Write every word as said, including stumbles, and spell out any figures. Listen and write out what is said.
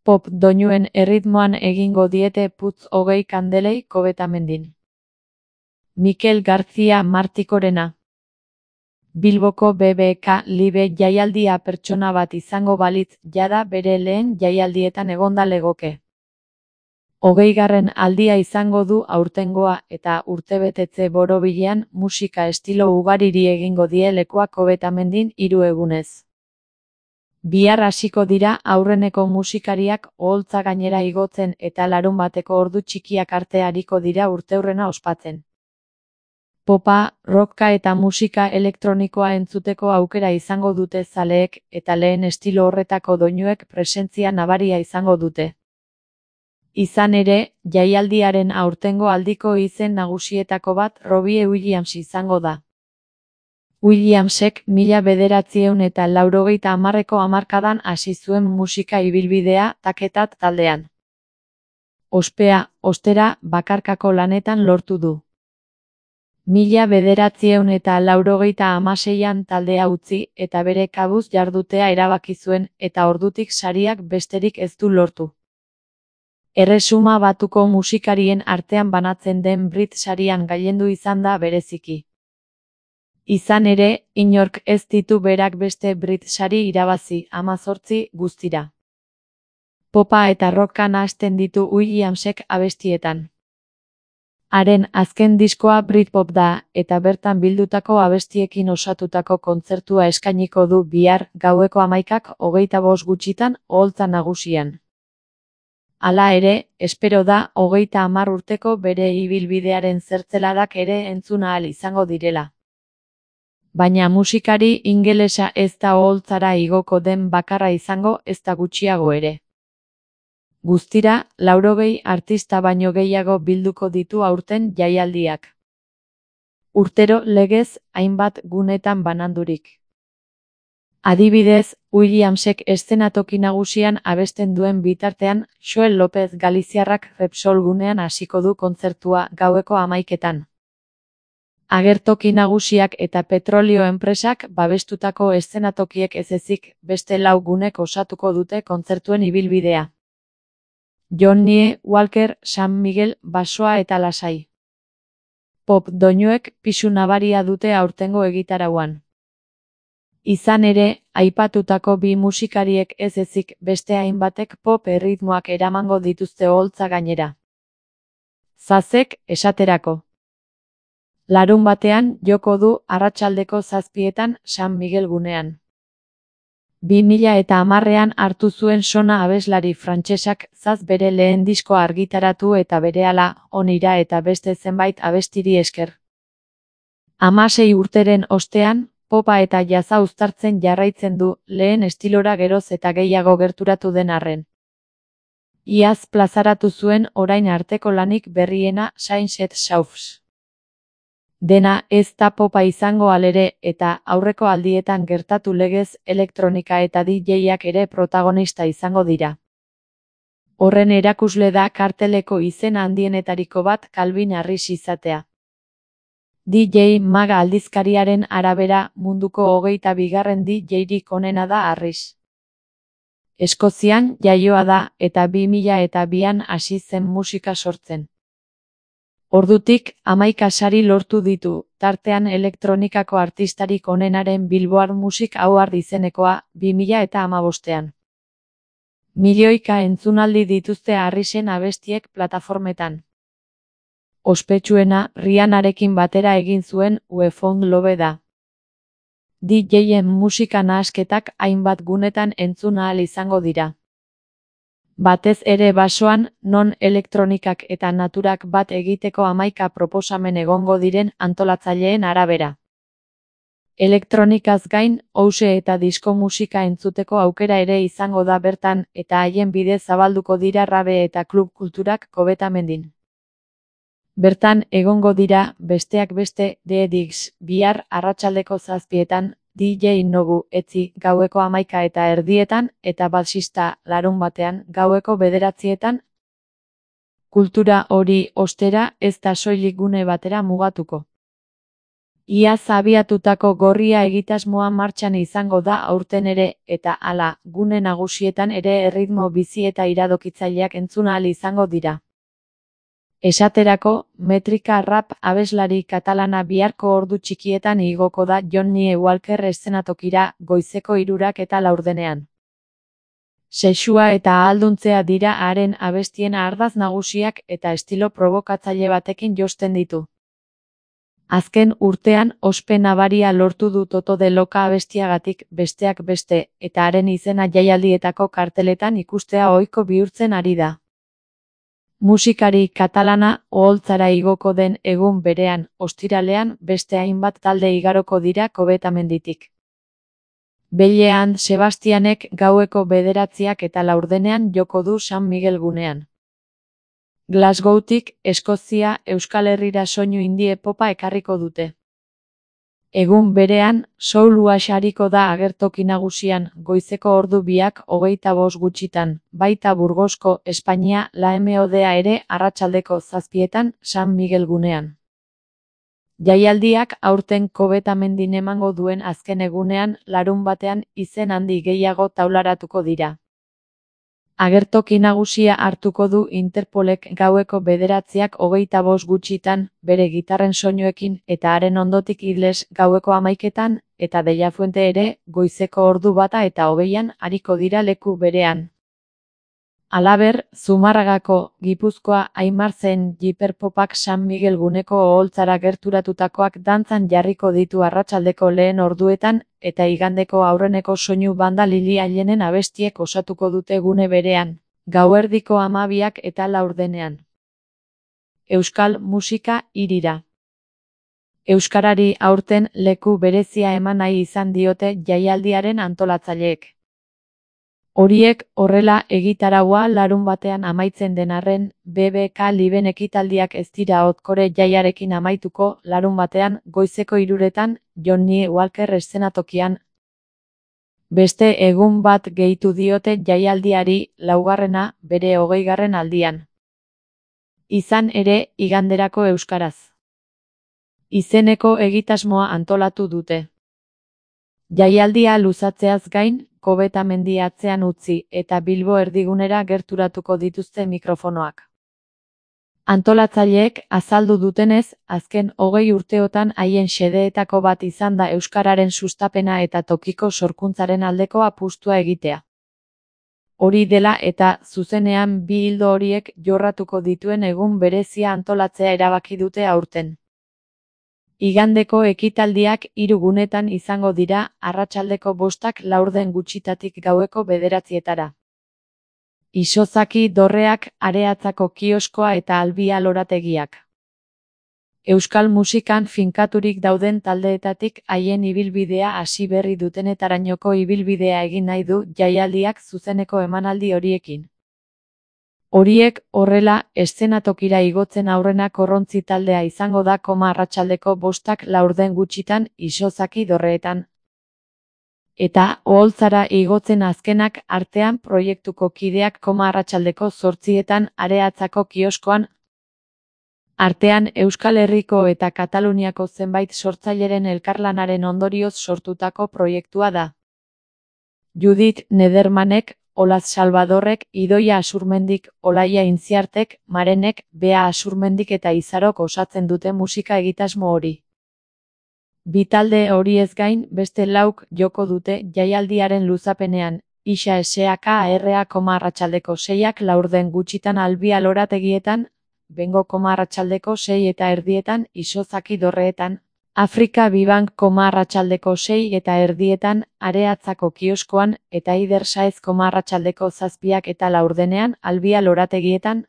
Pop doinuen erritmoan egingo diete putz hogei kandelei Kobetamendin. Mikel García Martikorena. Bilboko B B K Live jaialdia pertsona bat izango balitz jada bere lehen jaialdietan egonda legoke. Hogeigarren aldia izango du aurtengoa eta urtebetetze borobilean musika estilo ugariri egingo die lekua Kobetamendin hiru egunez. Bihar hasiko dira aurreneko musikariak oholtza gainera igotzen eta larunbateko ordu txikiak arte ariko dira urteurrena ospatzen. Popa, rocka eta musika elektronikoa entzuteko aukera izango dute zaleek eta lehen estilo horretako doinuek presentzia nabaria izango dute. Izan ere, jaialdiaren aurtengo aldiko izen nagusietako bat Robbie Williams izango da. Williamsek mila bederatziehun eta laurogeita hamarreko hamarkadan hasi zuen musika ibilbidea Taketat taldean. Ospea, ostera, bakarkako lanetan lortu du. Mila bederatziehun eta laurogeita hamaseian taldea utzi eta bere kabuz jardutea erabaki zuen eta ordutik sariak besterik ez du lortu. Erresuma Batuko musikarien artean banatzen den Brit sarian gailendu izan da bereziki. Izan ere, inork ez ditu berak beste Brit sari irabazi, hamazortzi guztira. Popa eta rocka nahasten ditu Williamsek abestietan. Haren azken diskoa Britpop da, eta bertan bildutako abestiekin osatutako kontzertua eskainiko du bihar gaueko hamaikak hogeita bost gutxitan oholtza nagusian. Hala ere, espero da hogeita hamar urteko bere ibilbidearen zertzeladak ere entzun ahal izango direla. Baina musikari ingelesa ez da oholtzara igoko den bakarra izango ezta gutxiago ere. Guztira, laurogei artista baino gehiago bilduko ditu aurten jaialdiak. Urtero legez hainbat gunetan banandurik. Adibidez, Williamsek eszenatoki nagusian abesten duen bitartean, Joel Lopez Galiziarrak Repsol gunean hasiko du kontzertua gaueko hamaiketan. Agertoki nagusiak eta petrolio enpresak babestutako eszenatokiek ez ezik beste lau gunek osatuko dute kontzertuen ibilbidea. Johnny Walker, San Miguel, basoa eta lasai. Pop doinuek pisu nabaria dute aurtengo egitarauan. Izan ere, aipatutako bi musikariek ez ezik beste hainbatek pop erritmoak eramango dituzte oholtza gainera. Zazek, esaterako. Larun batean joko du arratsaldeko zazpietan San Miguel gunean. Bi mila eta hamarrean hartu zuen sona abeslari frantsesak Zaz bere lehen diskoa argitaratu eta berehala onira eta beste zenbait abestiri esker. Hamasei urteren ostean, popa eta jazza uztartzen jarraitzen du lehen estilora geroz eta gehiago gerturatu den arren. Iaz plazaratu zuen orain arteko lanik berriena Sunset Sauce. Dena ez da popa izango alere eta aurreko aldietan gertatu legez elektronika eta D J-ak ere protagonista izango dira. Horren erakusle da karteleko izen handienetariko bat Calvin Harris izatea. D J Maga aldizkariaren arabera munduko hogeita bigarren D J-rik onena da Harris. Eskozian jaioa da eta bi mila eta bian hasi zen musika sortzen. Ordutik, hamaika sari lortu ditu, tartean elektronikako artistarik onenaren Billboard Music Award izenekoa bi mila eta hamabostean. Milioika entzunaldi dituzte Harrisen abestiek plataformetan. Ospetsuena Rihannarekin batera egin zuen We Found Love da. D J-en musika nahasketak hainbat gunetan entzun ahal izango dira. Batez ere basoan, non elektronikak eta naturak bat egiteko hamaika proposamen egongo diren antolatzaileen arabera. Elektronikaz gain, house eta disko musika entzuteko aukera ere izango da bertan eta haien bidez zabalduko dira rabe eta klub kulturak Kobetamendin. Bertan egongo dira, besteak beste, The Diggs, bihar arratsaldeko zazpietan, D J Nobu etzi gaueko hamaika eta erdietan eta basista larun batean gaueko bederatzietan. Kultura hori ostera ez da soilik gune batera mugatuko. Iaz abiatutako gorria egitasmoa martxan izango da aurten ere, eta hala, gune nagusietan ere erritmo bizi eta iradokitzaileak entzun ahal izango dira. Esaterako, metrika rap abeslari katalana biharko ordu txikietan igoko da Johnny Walker eszenatokira goizeko hirurak eta laurdenean. Sexua eta ahalduntzea dira haren abestien ardatz nagusiak eta estilo probokatzaile batekin josten ditu. Azken urtean ospe nabaria lortu du Toto de Loca abestiagatik besteak beste, eta haren izena jaialdietako karteletan ikustea ohiko bihurtzen ari da. Musikari katalana oholtzara igoko den egun berean, ostiralean, beste hainbat talde igaroko dira Kovetamenditik. Bellean Sebastianek gaueko bederatziak eta laurdenean joko du San Miguel gunean. Glasgowtik, Eskozia, Euskal Herrira soinu indie popa ekarriko dute. Egun berean, soul wash ariko da agertoki nagusian, goizeko ordu biak hogeita bost gutxitan, baita Burgosko, Espainia, La M O D A ere arratsaldeko zazpietan, San Miguel gunean. Jaialdiak aurten Kovetamendin emango duen azken egunean, larun batean, izen handi gehiago taularatuko dira. Agertoki nagusia hartuko du Interpolek gaueko bederatziak hogeita bost gutxitan, bere gitarren soinuekin eta haren ondotik Idles gaueko hamaiketan, eta Deia Fuente ere, goizeko ordu bata eta hogeian ariko dira leku berean. Halaber, Zumarragako, Gipuzkoa, Aimartzen Jiperpopak San Miguel guneko oholtzara gerturatutakoak dantzan jarriko ditu arratsaldeko lehen orduetan, eta igandeko aurreneko soinu banda Lili Allenen abestiek osatuko dute gune berean, gauerdiko hamabiak eta laurdenean. Euskal musika hirira. Euskarari aurten leku berezia eman nahi izan diote jaialdiaren antolatzaileek. Horiek horrela egitaraua larun batean amaitzen den arren, B B K Liben ekitaldiak ez dira Otkore jaiarekin amaituko larun batean goizeko hiruretan Johnny Walker eszenatokian. Beste egun bat gehitu diote jaialdiari, laugarrena, bere hogeigarren aldian. Izan ere, iganderako euskaraz. Izeneko egitasmoa antolatu dute. Jaialdia luzatzeaz gain, Kovetamendi atzean utzi eta Bilbo erdigunera gerturatuko dituzte mikrofonoak. Antolatzaileek azaldu dutenez, azken hogei urteotan haien xedeetako bat izan da euskararen sustapena eta tokiko sorkuntzaren aldeko apustua egitea. Hori dela eta zuzenean bi ildo horiek jorratuko dituen egun berezia antolatzea erabaki dute aurten. Igandeko ekitaldiak hiru gunetan izango dira, arratsaldeko bostak laurden gutxitatik gaueko bederatzietara. Isozaki dorreak, Areatzako kioskoa eta Albia lorategiak. Euskal musikan finkaturik dauden taldeetatik haien ibilbidea hasi berri dutenetarainoko ibilbidea egin nahi du jaialdiak zuzeneko emanaldi horiekin. Horiek, horrela, eszenatokira igotzen aurrena korrontzi taldea izango da koma arratsaldeko bostak laurden gutxitan Isozaki dorreetan. Eta, oholtzara igotzen azkenak artean proiektuko kideak koma arratsaldeko zortzietan Areatzako kioskoan. Artean Euskal Herriko eta Kataluniako zenbait sortzaileren elkarlanaren ondorioz sortutako proiektua da. Judith Nedermanek, Olaz Salvadorrek, Idoia Asurmendik, Olaia Intziartek, Marenek, Bea Asurmendik eta Izarok osatzen dute musika egitasmo hori. Bi talde horiez gain, beste lauk joko dute jaialdiaren luzapenean, Isa S A K R A arratsaldeko seiak laurden gutxitan Albia lorategietan, Bengo arratsaldeko sei eta erdietan Isozaki dorreetan, Afrika Bibank arratsaldeko sei eta erdietan Areatzako kioskoan eta Eider Saez arratsaldeko zazpiak eta laurdenean Albia lorategietan.